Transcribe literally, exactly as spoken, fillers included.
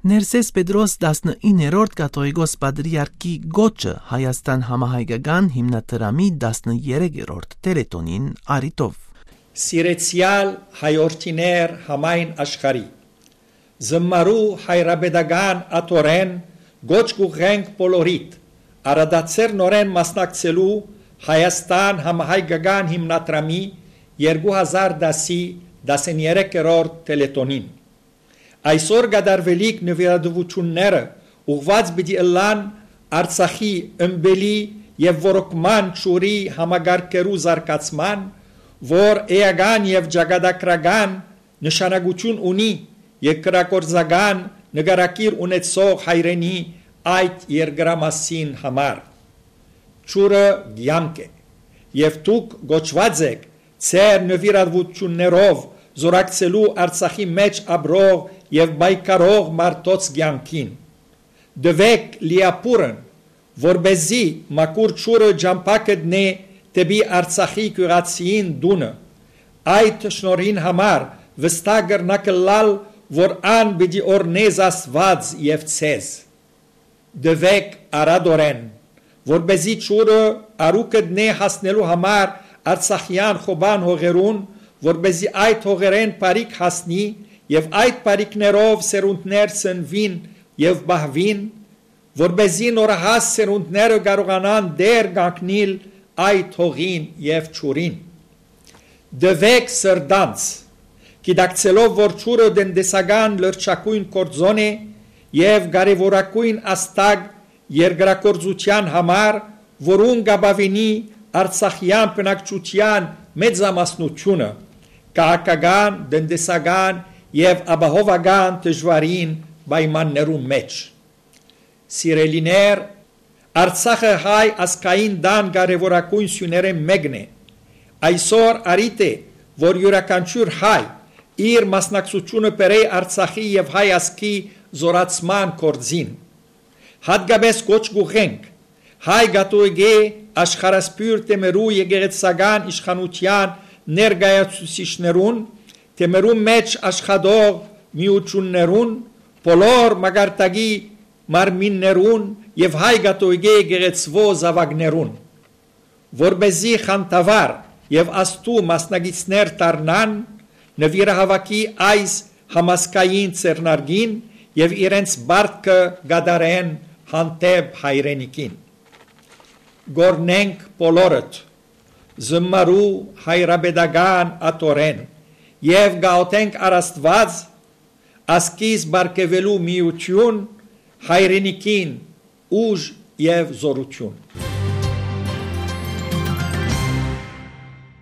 Ներսես Պետրոս տասնիններորդ կաթողիկոս պատրիարքի կոչը Հայաստան համահայկական հիմնադրամի տասներեքերորդ թելեթոնին առիթով։ Սիրեցեալ հայորդիներ համայն աշխարհի, զմարու հայրապետական աթոռէն կոչ կ'ուղղենք բոլորիդ, առատաձեռ նորէն մասնակցելու Հայաստան համահայկական հիմնադրամի երկու հազար տասի տասներեքերորդ թելեթոնին։ Այսօր կատարուելիք նուիրատուութիւնները ուղղուած պիտի ըլլան Արցախի ըմպելի եւ ոռոգման ջուրի համակարգերու զարգացման, որ էական եւ ճակատագրական նշանակութիւն ունի երկրագործական նկարագիր ունեցող հայրենի այդ երկրամասին համար։ Ջուրը կեանք է, եւ դուք կոչուած էք ձեր նուիրատուութիւններով զօրակցելու Արցախի մէջ ապրող եւ պայքարող մարդոց կեանքին։ Տուէք լիաբուռն, որպեսզի մաքուր ջուրը ճամբայ գտնէ դէպի Արցախի գիւղացիին տունը։ Այդ շնորհին համար վստահ կրնաք ըլլալ, որ ան պիտի օրհնէ Աստուած եւ ձեզ։ Տուէք առատօրէն, որպեսզի ջուրը առու գտնէ հասնելու համար Արցախեան խոբան հողերուն, որպեսզի այդ հողերէն բարիք հասնի եւ այդ բարիքներով սերունդներ ծնուին եւ պահուին, որպեսզի նորահաս սերունդները կարողանան տեր կանգնիլ այդ հողին եւ ջուրին։ Տուէք սրտանց, գիտակցելով որ ջուրը տնտեսական լրջագոյն գործոն է եւ կարեւորագոյն ազդակ երկրագործութեան համար, որուն կ'ապաւինի Արցախեան բնակչութեան մեծամասնութիւնը քաղաքական, տնտեսական եւ ապահովական դժուարին պայմաններուն մէջ։ Սիրելիներ, Արցախը հայ ազգային տան կարեւորագոյն սիւներէն մէկն է։ Այսօր առիթ է, որ իւրաքանչիւր հայ իր մասնակցութիւնը բերէ Արցախի եւ հայ ազգի զօրացման գործին։ Յատկապէս կոչ կ'ուղղենք հայ կաթողիկէ աշխարհասփիւռ թեմերու եկեղեցական իշխանութեան ներկայացուցիչներուն, թեմերուն մէջ աշխատող միութիւններուն, բոլոր մակարդակի մարմիններուն եւ հայ կաթողիկէ եկեղեցւոյ զաւակներուն, որպեսզի խանդավառ եւ աստու մասնակիցներ դառնան նուիրահաւաքի այս համազգային ձեռնարկին եւ իրենց պարտքը կատարեն հանդէպ հայրենիքին։ Կ'օրհնենք բոլորդ զմարու հայրապետական աթոռէն եւ կ'աղօթենք առ Աստուած ազգիս պարգեւելու միութիւն, հայրենիքին ուժ եւ զօրութիւն։